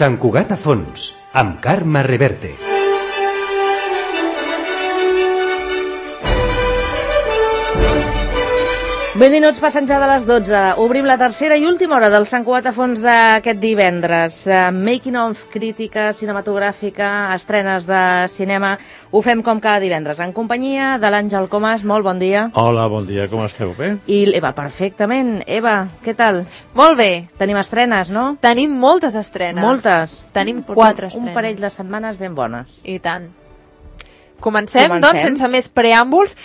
Sant Cugat a fons, amb Carme Reverte. Ben minuts passant ja de les 12. Obrim la tercera i última hora del Sant Cugat a fons d'aquest divendres. Making of, crítica cinematogràfica, estrenes de cinema. Ho fem com cada divendres, en companyia de l'Àngel Comas. Molt bon dia. Hola, bon dia, com esteu? Bé? I l'Eva, perfectament. Eva, què tal? Molt bé. Tenim estrenes, no? Tenim moltes estrenes. Moltes. Tenim 4 estrenes. Un parell de setmanes ben bones. I tant. Comencem, doncs, sense més preàmbuls.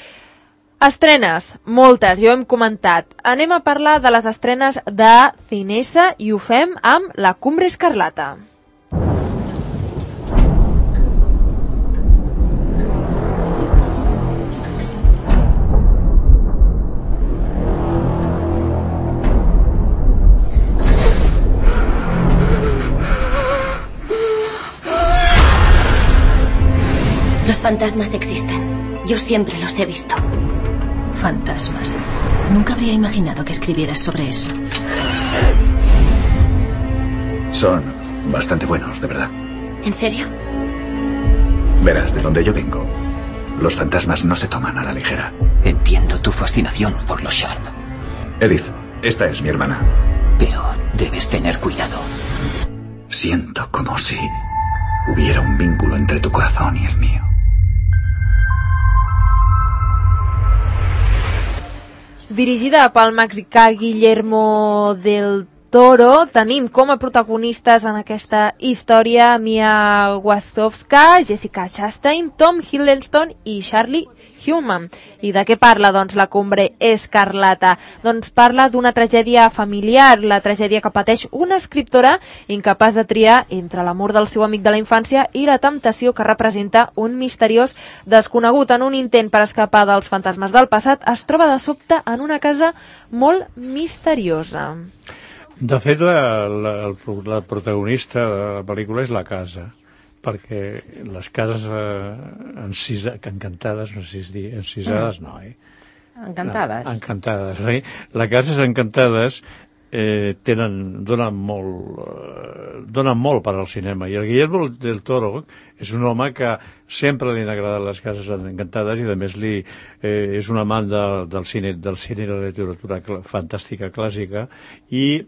Estrenes, moltes, ja ho hem comentat. Anem a parlar de les estrenes de Cinesa i ho fem amb La Cumbre Escarlata. Los fantasmas existen. Yo siempre los he visto. Fantasmas. Nunca habría imaginado que escribieras sobre eso. Son bastante buenos, de verdad. ¿En serio? Verás, de donde yo vengo, los fantasmas no se toman a la ligera. Entiendo tu fascinación por los Sharp. Edith, esta es mi hermana. Pero debes tener cuidado. Siento como si hubiera un vínculo entre tu corazón y el mío. Dirigida pel mexicà Guillermo del Toro, tenim com a protagonistes en aquesta història Mia Wasikowska, Jessica Chastain, Tom Hiddleston i Charlie Hunnam. I de què parla, doncs, La Cumbre Escarlata? Doncs parla d'una tragèdia familiar, la tragèdia que pateix una escriptora incapaç de triar entre l'amor del seu amic de la infància i la temptació que representa un misteriós desconegut. En un intent per escapar dels fantasmes del passat, es troba de sobte en una casa molt misteriosa. De fet, la protagonista de la pel·lícula és la casa, perquè les cases encantades, no sé si dir, encisades no, Encantades. No, encantades, oi? Les cases encantades donen molt per al cinema, i el Guillermo del Toro és un home que sempre li han agradat les cases encantades i a més és un amant del cine i de la literatura fantàstica clàssica i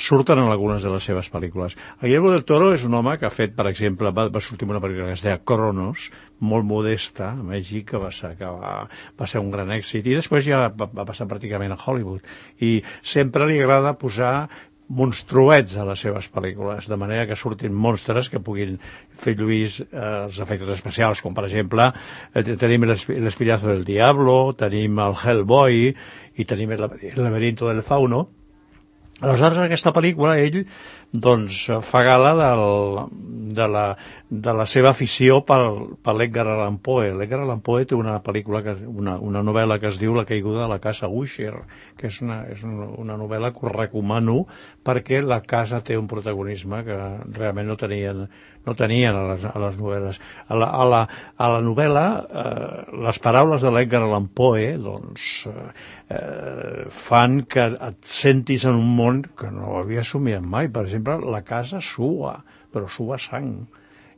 surten en algunes de les seves pel·lícules. El Guillermo del Toro és un home que ha fet, per exemple, va sortir una pel·lícula que es deia Cronos, molt modesta, a Mèxic, que va ser un gran èxit, i després ja va passar pràcticament a Hollywood, i sempre li agrada posar monstruets a les seves pel·lícules, de manera que surtin monstres que puguin fer lluir els efectes especials, com per exemple tenim l'Espinazo del Diablo, tenim el Hellboy i tenim el Laberinto del Fauno. Aleshores, en aquesta pel·lícula, ell doncs, fa gala de la seva afició per l'Edgar Allan Poe. L'Edgar Allan Poe té una pel·lícula, una novel·la que es diu La caiguda de la casa Usher, que és una novel·la que us recomano perquè la casa té un protagonisme que realment no tenien a les novel·les. A la novel·la, les paraules de l'Edgar Allan Poe doncs, fan que et sentis en un món que no havia somiat mai. Per exemple, la casa sua, però sua sang.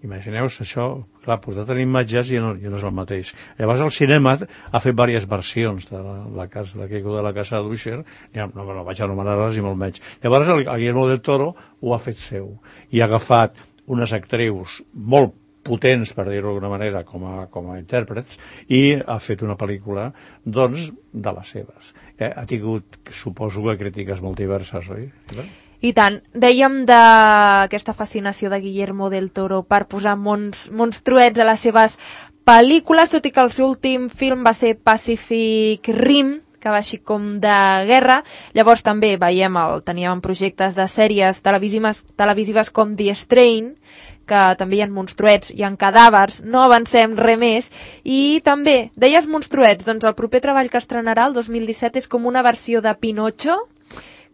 Imagineu-vos això, clar, portat en imatges ja no és el mateix. Llavors el cinema ha fet diverses versions de la caiguda de la casa d'Usher, no me la vaig anomenar-les i molt menys. Llavors el Guillermo del Toro ho ha fet seu i ha agafat unes actrius molt potents, per dir-ho d'alguna manera, com a intèrprets, i ha fet una pel·lícula, doncs, de les seves. Ha tingut, suposo, crítiques molt diverses, oi? I tant. Dèiem d'aquesta fascinació de Guillermo del Toro per posar monstruets a les seves pel·lícules, tot i que el seu últim film va ser Pacific Rim, que va així com de guerra. Llavors també teníem projectes de sèries televisives com The Strain, que també hi ha monstruets, hi ha cadàvers, no avancem res més. I també, deies monstruets, doncs el proper treball que estrenarà el 2017 és com una versió de Pinocho,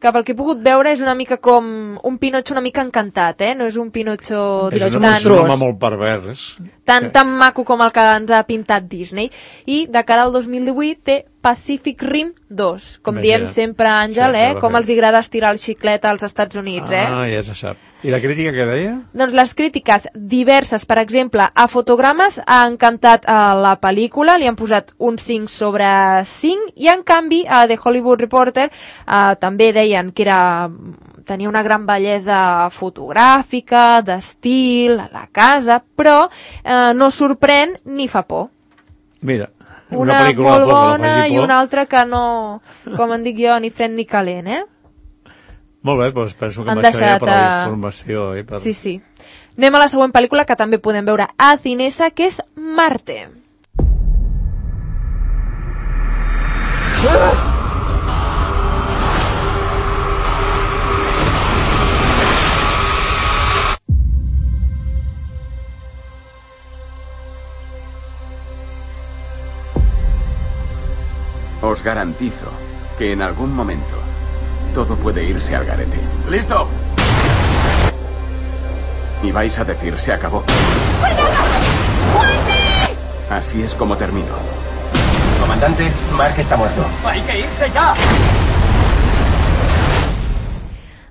que pel que he pogut veure és una mica com un Pinocho una mica encantat, no és un Pinocho és un home molt pervers. Tan maco com el que ens ha pintat Disney. I de cara al 2018 té Pacific Rim 2. Com diem sempre, Àngel, com els agrada estirar el xiclet als Estats Units, Ja se sap. I la crítica què deia? Doncs les crítiques diverses, per exemple, a Fotogrames ha encantat la pel·lícula, li han posat un 5 sobre 5, i en canvi a The Hollywood Reporter també deien que tenia una gran bellesa fotogràfica, d'estil, a la casa, però no sorprèn ni fa por. Mira, una pel·lícula molt bona i una altra que no, com en dic jo, ni fred ni calent, Molt bé, doncs penso que amb això ja per la informació. Sí. Anem a la següent pel·lícula que també podem veure a Cinesa, que és Marte. Os garantizo que en algún momento todo puede irse al garete. ¡Listo! Y vais a decir, se acabó. Así es como termino. Comandante, Mark está muerto. ¡Hay que irse ya!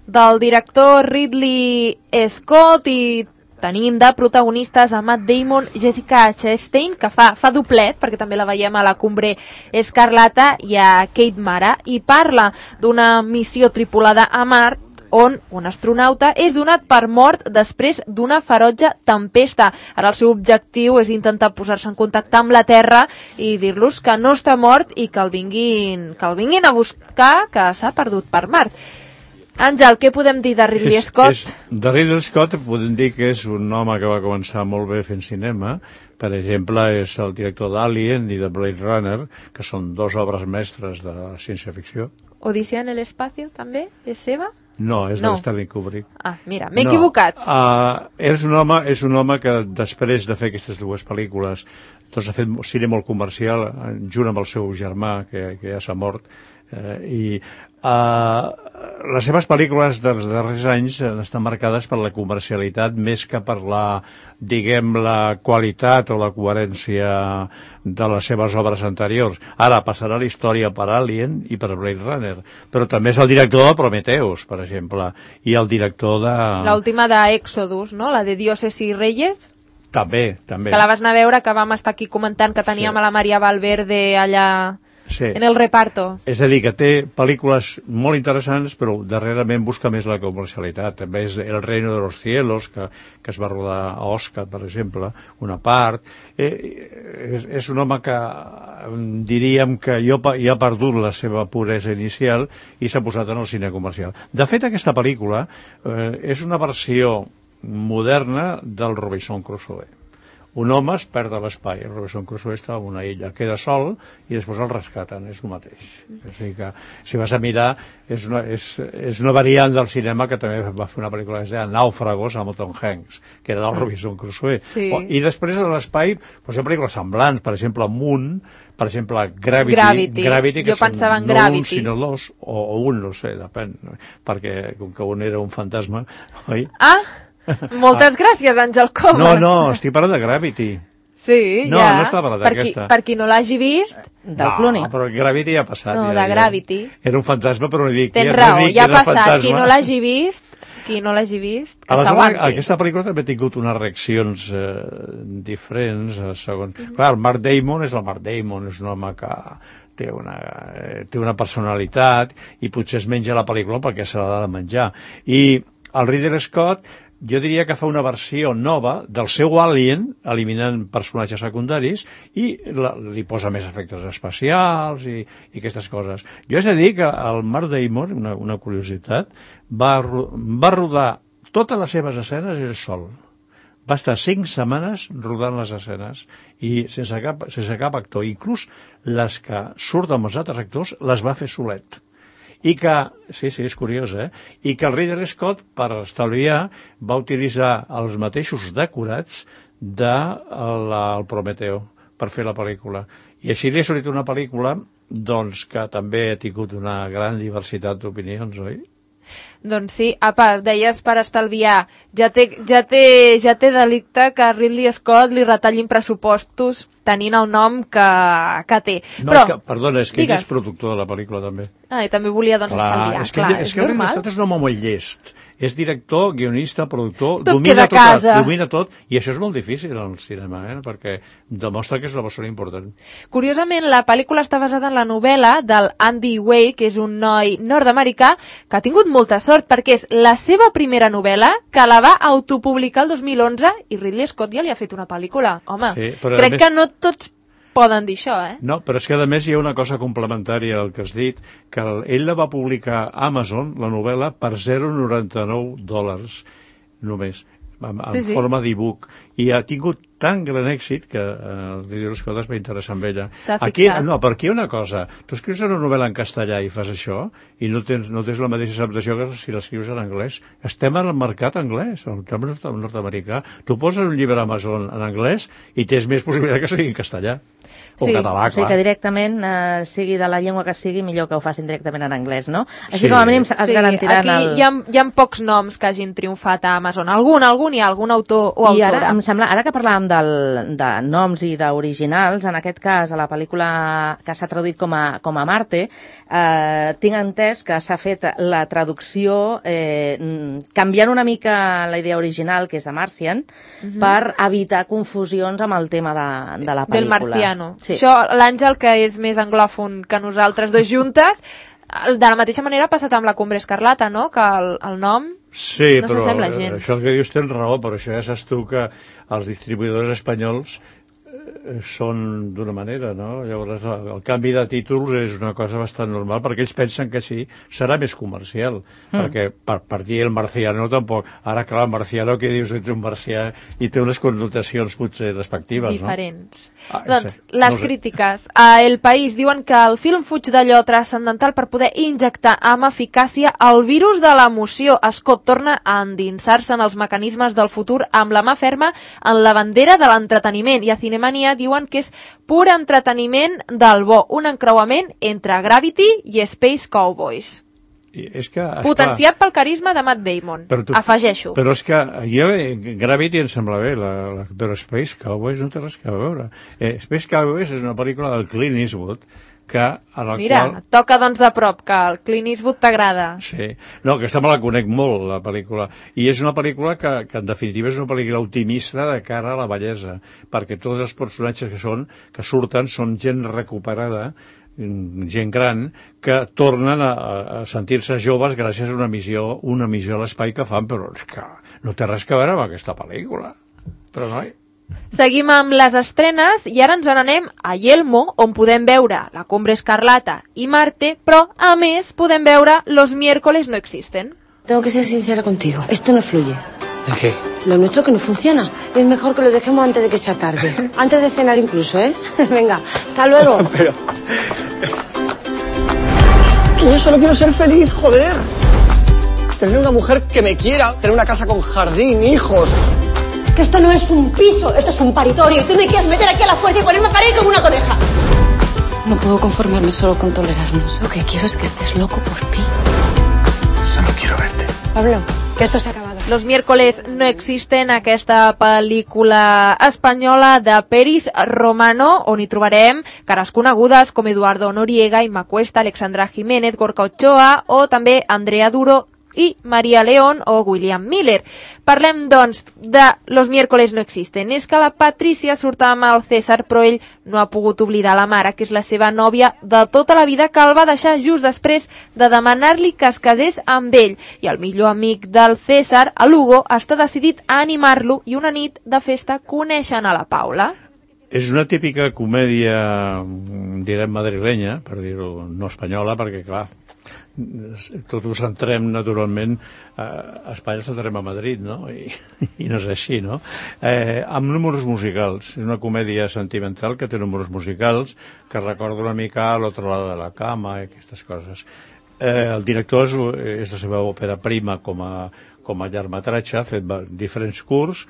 Del director Ridley Scott, i tenim de protagonistes a Matt Damon, Jessica Chastain, que fa doblet, perquè també la veiem a La Cumbre Escarlata, i a Kate Mara, i parla d'una missió tripulada a Mart, on un astronauta és donat per mort després d'una ferotge tempesta. Ara el seu objectiu és intentar posar-se en contacte amb la Terra i dir-los que no està mort i que el vinguin a buscar, que s'ha perdut per Mart. Àngel, què podem dir de Ridley Scott? De Ridley Scott podem dir que és un home que va començar molt bé fent cinema. Per exemple, és el director d'Alien i de Blade Runner, que són dos obres mestres de la ciència-ficció. Odissea en l'espacio, també? És seva? No, és de Stanley Kubrick. Ah, mira, m'he equivocat. És un home que després de fer aquestes dues pel·lícules doncs ha fet cinema molt comercial junt amb el seu germà, que ja s'ha mort, i les seves pel·lícules dels darrers anys estan marcades per la comercialitat més que per la qualitat o la coherència de les seves obres anteriors. Ara passarà la història per Alien i per Blade Runner, però també és el director de Prometheus, per exemple, i el director de... L'última d'Exodus, no? La de Dioses i Reyes. També. Que la vas anar a veure, que vam estar aquí comentant que teníem a la Maria Valverde allà... Sí. En el reparto. És a dir, que té pel·lícules molt interessants, però darrerament busca més la comercialitat. També és El reino de los cielos, que es va rodar a Oscar, per exemple, una part. És un home que diríem que ja ha perdut la seva puresa inicial i s'ha posat en el cine comercial. De fet, aquesta pel·lícula és una versió moderna del Robinson Crusoe. Un home es perd a l'espai, el Robinson Crusoe està en una illa, queda sol i després el rescaten, és el mateix. És a dir que, si vas a mirar, és una variant del cinema que també va fer una pel·lícula que es deia Nàufragos, amb Tom Hanks, que era del Robinson Crusoe. Sí. I després a l'espai hi ha pel·lícules semblants, per exemple Moon, per exemple Gravity, que són no un sinó dos, o un, no sé, depèn, perquè com que un era un fantasma, oi? Moltes gràcies, Àngel Comas. No, estic parlant de Gravity. Sí, no, ja. No estava parlant d'aquesta. Per qui no l'hagi vist, del Clooney. No, però Gravity ja ha passat. No, de Gravity. Era un fantasma, però no dic... Tens raó, ja ha passat. Qui no l'hagi vist, que s'aguanti. Aquesta pel·lícula també ha tingut unes reaccions diferents, segons... Clar, el Matt Damon és el Matt Damon, és un home que té una personalitat i potser es menja la pel·lícula perquè se l'ha de menjar. I el Ridley Scott, jo diria que fa una versió nova del seu Alien, eliminant personatges secundaris, i li posa més efectes especials i aquestes coses. Jo he de dir que el Matt Damon, una curiositat, va rodar totes les seves escenes ell sol. Va estar 5 setmanes rodant les escenes i sense cap actor. Inclús les que surten amb els altres actors les va fer solet. I que, sí, és curiós, i que el Ridley Scott, per estalviar, va utilitzar els mateixos decorats del Prometeo per fer la pel·lícula. I així li ha sortit una pel·lícula doncs, que també ha tingut una gran diversitat d'opinions, oi? Doncs sí, a part, deies per estalviar, ja té delicte que a Ridley Scott li retallin pressupostos tenint el nom que té. No, però, perdona, és que ell digues. és productor de la pel·lícula també. I també volia estalviar. És que Ridley Scott és un home molt llest. És director, guionista, productor, domina tot, i això és molt difícil en el cinema, perquè demostra que és una persona important. Curiosament, la pel·lícula està basada en la novel·la del Andy Weir, que és un noi nord-americà que ha tingut molta sort, perquè és la seva primera novel·la, que la va autopublicar el 2011, i Ridley Scott ja li ha fet una pel·lícula. Home, sí, crec que no tots poden dir això, No, però és que a més hi ha una cosa complementària al que has dit, que ell la va publicar a Amazon, la novel·la, per $0,99 només, en forma d'e-book, i ha tingut tan gran èxit que el Ridley Scott es va interessar amb ella. Aquí, no, però aquí hi ha una cosa. Tu escrius una novel·la en castellà i fas això, i no tens la mateixa acceptació que si l'escrius en anglès. Estem en el mercat anglès, el camp nord-americà. Tu poses un llibre a Amazon en anglès i tens més possibilitat que sigui en castellà. O català, clar. O sigui que directament, sigui de la llengua que sigui, millor que ho facin directament en anglès, no? Així com a mínim es garantiran aquí hi ha pocs noms que hagin triomfat a Amazon. Algun hi ha, algun autor o autora. I ara, em sembla, ara que parlàvem de noms i d'originals, en aquest cas, a la pel·lícula que s'ha traduït com a Marte, tinc entès que s'ha fet la traducció canviant una mica la idea original, que és de Martian, per evitar confusions amb el tema de la pel·lícula. Del marciano. Sí. Això, l'Àngel, que és més anglòfon que nosaltres dos juntes, de la mateixa manera ha passat amb la Cumbre Escarlata, no? Que el nom no s'assembla gens. Això que dius tens raó, però això ja saps tu que els distribuïdors espanyols són d'una manera, no? Llavors el canvi de títols és una cosa bastant normal, perquè ells pensen que sí, serà més comercial, perquè per dir el marciano tampoc, ara clar, el marciano que dius ets un marcià i té unes connotacions potser despectives, diferents. Doncs, les crítiques. A El País diuen que el film fuig d'allò transcendental per poder injectar amb eficàcia el virus de l'emoció. Scott torna a endinsar-se en els mecanismes del futur amb la mà ferma en la bandera de l'entreteniment, i a Cinemania diuen que és pur entreteniment del bo, un encreuament entre Gravity i Space Cowboys. Potenciat pel carisma de Matt Damon, afegeixo. Però és que jo, Gravity em sembla bé, però Space Cowboys no té res a veure. Space Cowboys és una pel·lícula del Clint Eastwood, Mira, toca doncs de prop, que el Clint Eastwood t'agrada. Sí, no, aquesta me la conec molt, la pel·lícula, i és una pel·lícula que en definitiva és una pel·lícula optimista de cara a la bellesa, perquè tots els personatges que surten són gent recuperada, gent gran, que tornen a sentir-se joves gràcies a una missió a l'espai que fan, però és que no té res a veure amb aquesta pel·lícula. Però no hi... Seguim amb les estrenes i ara ens n'anem a Yelmo, on podem veure La Cumbre Escarlata i Marte, però a més podem veure Los miércoles no existen. Tengo que ser sincera contigo, esto no fluye. ¿El qué? Lo nuestro que no funciona. Es mejor que lo dejemos antes de que sea tarde. Antes de cenar incluso, ¿eh? Venga, hasta luego. Pero... Yo solo quiero ser feliz, joder. Tener una mujer que me quiera, tener una casa con jardín, hijos... Que esto no es un piso, esto es un paritorio. Y tú me quieres meter aquí a la fuerza y ponerme a parir como una coneja. No puedo conformarme solo con tolerarnos. Lo que quiero es que estés loco por mí. Solo quiero verte. Pablo, que esto se ha acabado. Los miércoles no existen, aquesta pel·lícula espanyola de Peris Romano, on hi trobarem cares conegudes com Eduardo Noriega, Imma Cuesta, Alexandra Jiménez, Gorka Ochoa o també Andrea Duro i Maria León o William Miller. Parlem, doncs, de Los miércoles no existen. És que la Patricia surt amb el César, però ell no ha pogut oblidar la mare, que és la seva nòvia de tota la vida, que el va deixar just després de demanar-li que es casés amb ell. I el millor amic del César, a Lugo, està decidit a animar-lo i una nit de festa coneixen a la Paula. És una típica comèdia, direm, madrilenya, per dir-ho, no espanyola, perquè, clar, tot ho centrem naturalment a Espanya, centrem a Madrid, no? I no és així, no? Amb números musicals. És una comèdia sentimental que té números musicals que recorda una mica a l'altre lado de la cama i aquestes coses. El director és la seva òpera prima com a llargmetratge, ha fet diferents curts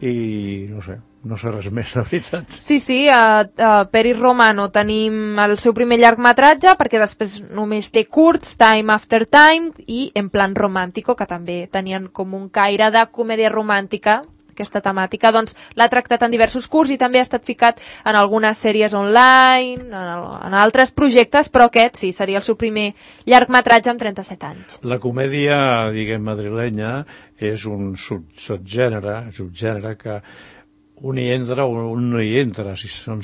i no sé res més, la veritat. Sí, a Peris Romano tenim el seu primer llargmetratge, perquè després només té curts, Time After Time i En plan romàntico, que també tenien com un caire de comèdia romàntica aquesta temàtica. Doncs l'ha tractat en diversos curts i també ha estat ficat en algunes sèries online, en altres projectes, però aquest sí, seria el seu primer llargmetratge amb 37 anys. La comèdia, diguem, madrilenya és un subgènere que un hi entra o un no hi entra. Si són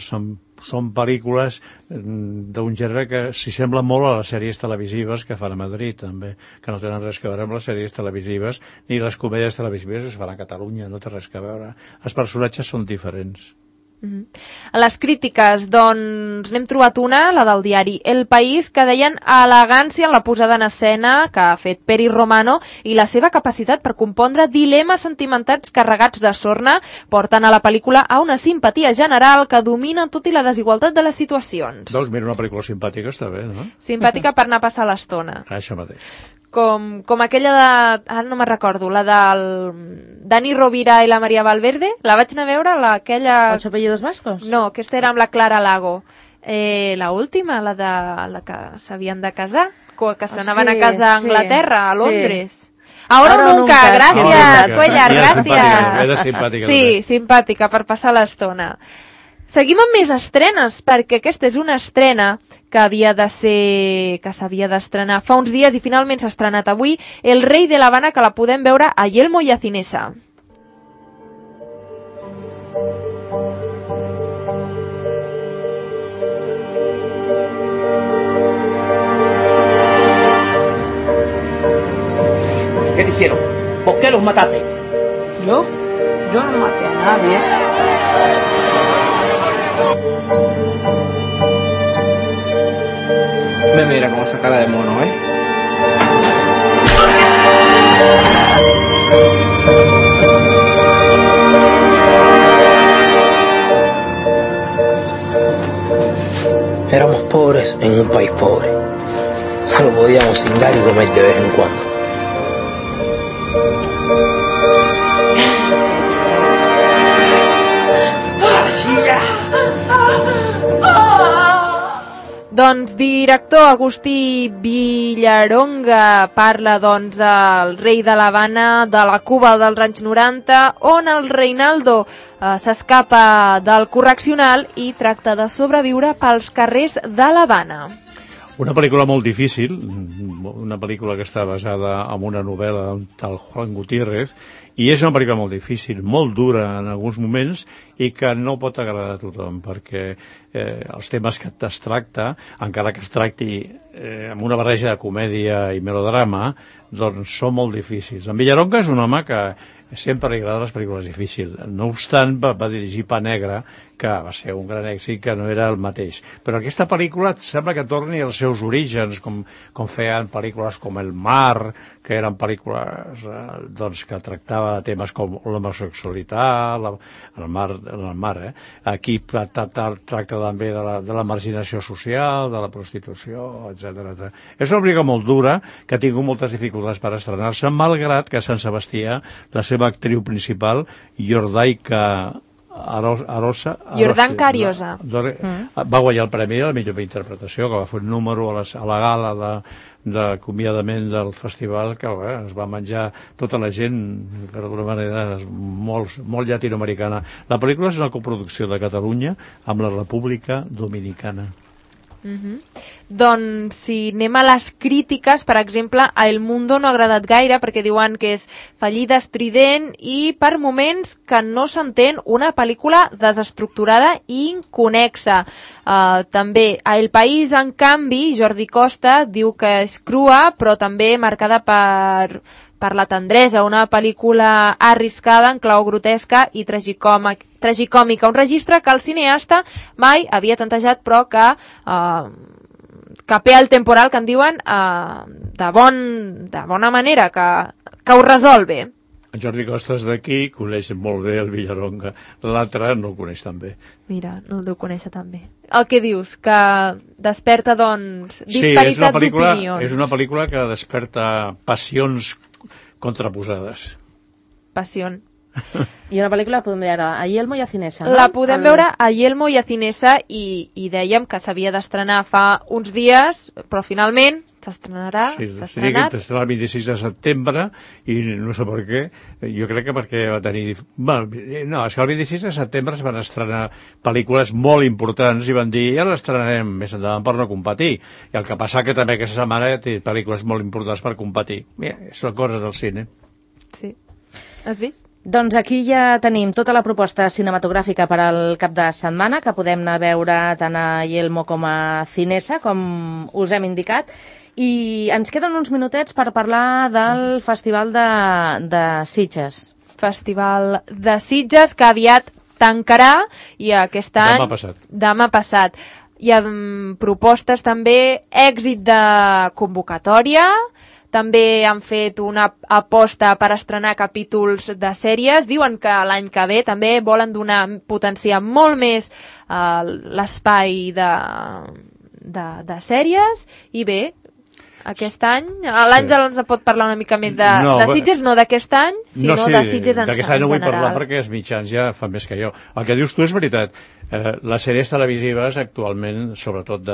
pel·lícules d'un gènere que s'hi sembla molt a les sèries televisives que fan a Madrid, també, que no tenen res a veure amb les sèries televisives ni les comèdies televisives que es fan a Catalunya, no té res a veure. Els personatges són diferents. A les crítiques, doncs, n'hem trobat una, la del diari El País, que deien elegància en la posada en escena que ha fet Peri Romano i la seva capacitat per compondre dilemes sentimentals carregats de sorna porten a la pel·lícula a una simpatia general que domina tot i la desigualtat de les situacions. Doncs mira, una pel·lícula simpàtica està bé, no? Simpàtica per anar a passar l'estona. Això mateix. Com aquella de... Ara no me'n recordo, la del Dani Rovira i la Maria Valverde. La vaig anar a veure, aquella... ¿Ocho apellidos vascos? No, aquesta era amb la Clara Lago. La última, la que s'havien de casar, que s'anaven a casa a Anglaterra, a Londres. Ahora o nunca, gràcies, Cuellar, gràcies. Era simpàtica. Sí, simpàtica, per passar l'estona. Seguim amb més estrenes, perquè aquesta és una estrena que s'havia d'estrenar fa uns dies i finalment s'ha estrenat avui, El rei de l'Havana, que la podem veure a Yelmo i a Cinesa. ¿Qué te hicieron? ¿Por qué los mataste? ¿Yo? Yo no maté a nadie. Me mira con esa cara de mono, ¿eh? Éramos pobres en un país pobre. Solo podíamos cingar y comer de vez en cuando. Doncs director Agustí Villaronga parla doncs el rei de l'Havana, de la Cuba dels anys 90, on el Reinaldo s'escapa del correccional i tracta de sobreviure pels carrers de l'Havana. Una pel·lícula molt difícil, una pel·lícula que està basada en una novel·la d'un tal Juan Gutiérrez, i és una pel·lícula molt difícil, molt dura en alguns moments i que no pot agradar a tothom, perquè els temes que es tracta, encara que es tracti amb una barreja de comèdia i melodrama, doncs són molt difícils. En Villaronga és un home que sempre li agrada les pel·lícules difícils. No obstant, va dirigir Pa Negre, que va ser un gran èxit, que no era el mateix. Però aquesta pel·lícula sembla que torni als seus orígens, com feien pel·lícules com El Mar, que eren pel·lícules doncs, que tractava de temes com l'homosexualitat, el mar. Aquí tracta també de la marginació social, de la prostitució, etc. És una pel·lícula molt dura, que ha tingut moltes dificultats per estrenar-se, malgrat que a Sant Sebastià la seva actriu principal, Jordaica Jordanka Ariosa va guanyar el premi de la millor interpretació, que va fer un número a la gala d'acomiadament del festival, que es va menjar tota la gent, per d'alguna manera molt llatinoamericana. La pel·lícula és una coproducció de Catalunya amb la República Dominicana. Doncs si anem a les crítiques, per exemple, a El Mundo no ha agradat gaire perquè diuen que és fallida, estrident i per moments que no s'entén, una pel·lícula desestructurada i inconexa. També a El País, en canvi, Jordi Costa diu que és crua però també marcada per la tendresa, una pel·lícula arriscada en clau grotesca i tragicòmica, un registre que el cineasta mai havia tantejat però que capea el temporal, que en diuen de bona manera, que ho resol bé. En Jordi Costa és d'aquí, coneix molt bé el Villaronga, l'altre no el coneix tan bé. Mira, no el deu conèixer tan bé. El que dius, que desperta doncs disparitat d'opinions. Sí, és una pel·lícula que desperta passions contraposades. Passió. I una pel·lícula la podem veure a Yelmo i a Cinesa, no? La podem veure a Yelmo i a Cinesa i dèiem que s'havia d'estrenar fa uns dies, però finalment s'estrenarà, Sí, s'ha estrenat. estrenat. El 26 de setembre i no sé per què, jo crec que perquè va tenir... Bueno, no, és que el 26 de setembre es van estrenar pel·lícules molt importants i van dir, ja l'estrenarem més endavant per no competir. I el que passa que també aquesta setmana té pel·lícules molt importants per competir. Mira, són coses del cine. Sí. Has vist? Doncs aquí ja tenim tota la proposta cinematogràfica per al cap de setmana, que podem anar a veure tant a Yelmo com a Cinesa, com us hem indicat. I ens queden uns minutets per parlar del Festival de Sitges. Festival de Sitges, que aviat tancarà, i aquest any... Demà passat. Hi ha propostes també, èxit de convocatòria. També han fet una aposta per estrenar capítols de sèries. Diuen que l'any que ve també volen potenciar molt més l'espai de sèries. I bé, aquest any, l'Àngel ens pot parlar una mica més de Sitges, no d'aquest any, sinó de Sitges en general. D'aquest any no vull parlar perquè els mitjans ja fan més que jo. El que dius tu és veritat. Les sèries televisives actualment, sobretot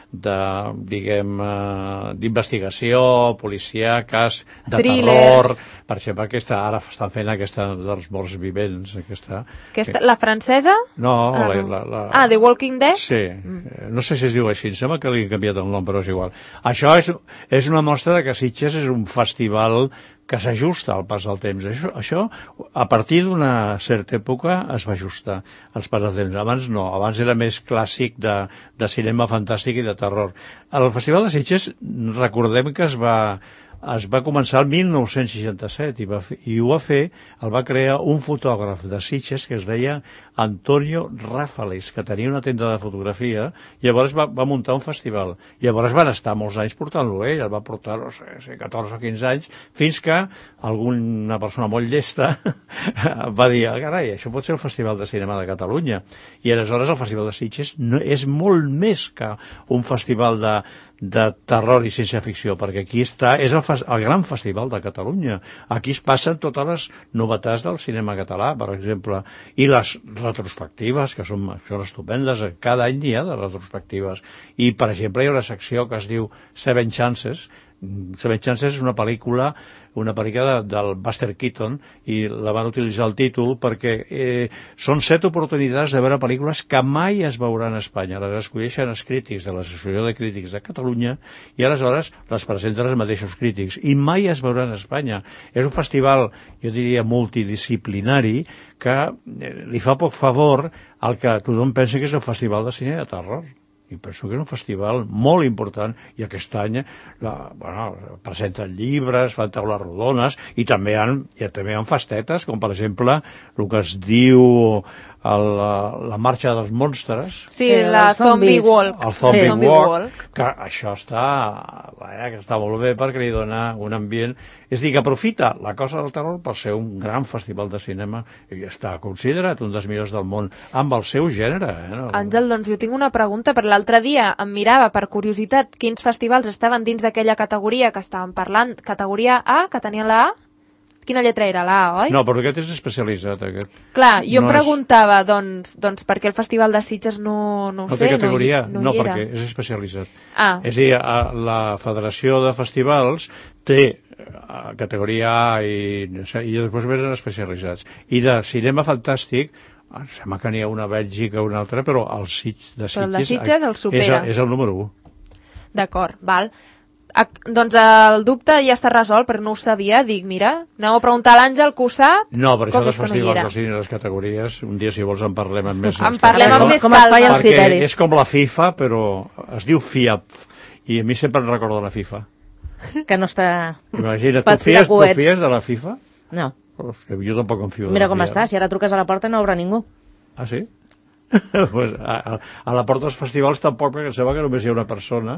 d'investigació, policíaques, de terror, per exemple, ara estan fent aquesta dels morts vivents. La francesa? No, The Walking Dead? Sí, no sé si es diu així, em sembla que li han canviat el nom, però és igual. Això és una mostra que Sitges és un festival que s'ajusta al pas del temps. Això, a partir d'una certa època, es va ajustar al pas del temps. Abans no, abans era més clàssic de cinema fantàstic i de terror. El Festival de Sitges, recordem que es va començar el 1967 i ho va crear un fotògraf de Sitges que es deia Antonio Rafales, que tenia una tenda de fotografia, i llavors va muntar un festival. Llavors van estar molts anys portant-lo ell, el va portar, no sé, 14 o 15 anys, fins que alguna persona molt llesta va dir, carai, això pot ser el Festival de Cinema de Catalunya. I aleshores el Festival de Sitges és molt més que un festival de terror i ciència-ficció, perquè aquí és el gran festival de Catalunya. Aquí es passen totes les novetats del cinema català, per exemple, i les retrospectives, que són estupendes. Cada any hi ha de retrospectives. I, per exemple, hi ha una secció que es diu Seven Chances. Seven Chances és una pel·lícula del Buster Keaton, i la van utilitzar el títol perquè són 7 oportunitats de veure pel·lícules que mai es veuran a Espanya. Les escolleixen els crítics de l'Associació de Crítics de Catalunya i aleshores les presenten els mateixos crítics i mai es veuran a Espanya. És un festival, jo diria, multidisciplinari que li fa poc favor al que tothom pensa que és el Festival de Cine de Terror. I penso que és un festival molt important, i aquest any presenten llibres, fan taules rodones, i també hi ha festetes, com per exemple el que es diu la marxa dels monstres. Sí, la Zombie Walk. El Zombie Walk, que això està molt bé perquè li dona un ambient. És a dir, que aprofita la cosa del terror per ser un gran festival de cinema i està considerat un dels millors del món amb el seu gènere. Àngel, doncs jo tinc una pregunta, per l'altre dia em mirava per curiositat quins festivals estaven dins d'aquella categoria que estàvem parlant, categoria A, que tenien la A. Quina lletra era? La A, oi? No, però aquest és especialitzat, aquest. Clar, jo em preguntava, doncs, per què el Festival de Sitges no ho sé, no té categoria, no hi era. Perquè és especialitzat. És a dir, la Federació de Festivals té categoria A i després venen especialitzats. I de cinema fantàstic, sembla que n'hi ha una a Bèlgica o una altra, però el de Sitges... Però el de Sitges el supera. És el número 1. D'acord, val. Doncs el dubte ja està resolt, però no ho sabia. Dic, mira, aneu a preguntar a l'Àngel, que ho sap. No, per això dels festivals del cine i les categories, un dia, si vols, en parlem amb més calma. Perquè és com la FIFA, però es diu FIAP, i a mi sempre em recorda la FIFA. Que no està... Imagina't, tu fies de la FIFA? No. Jo tampoc em fio. Mira com està, si ara truques a la porta no obre ningú. Ah, sí? Pues a la porta dels festivals tampoc, perquè em sembla que només hi ha una persona,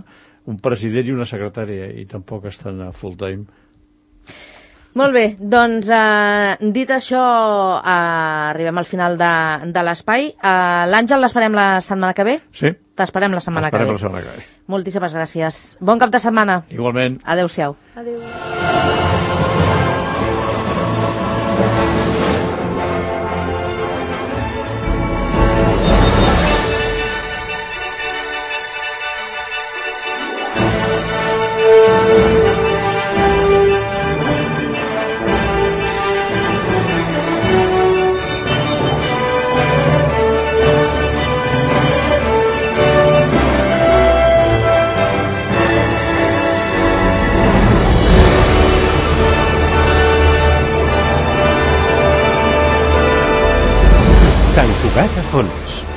un president i una secretària, i tampoc estan a full time. Molt bé, doncs dit això, arribem al final de l'espai. L'Àngel l'esperem la setmana que ve? Sí. T'esperem la setmana que ve. Moltíssimes gràcies. Bon cap de setmana. Igualment. Adéu-siau. Adéu. Sant Cugat a fons.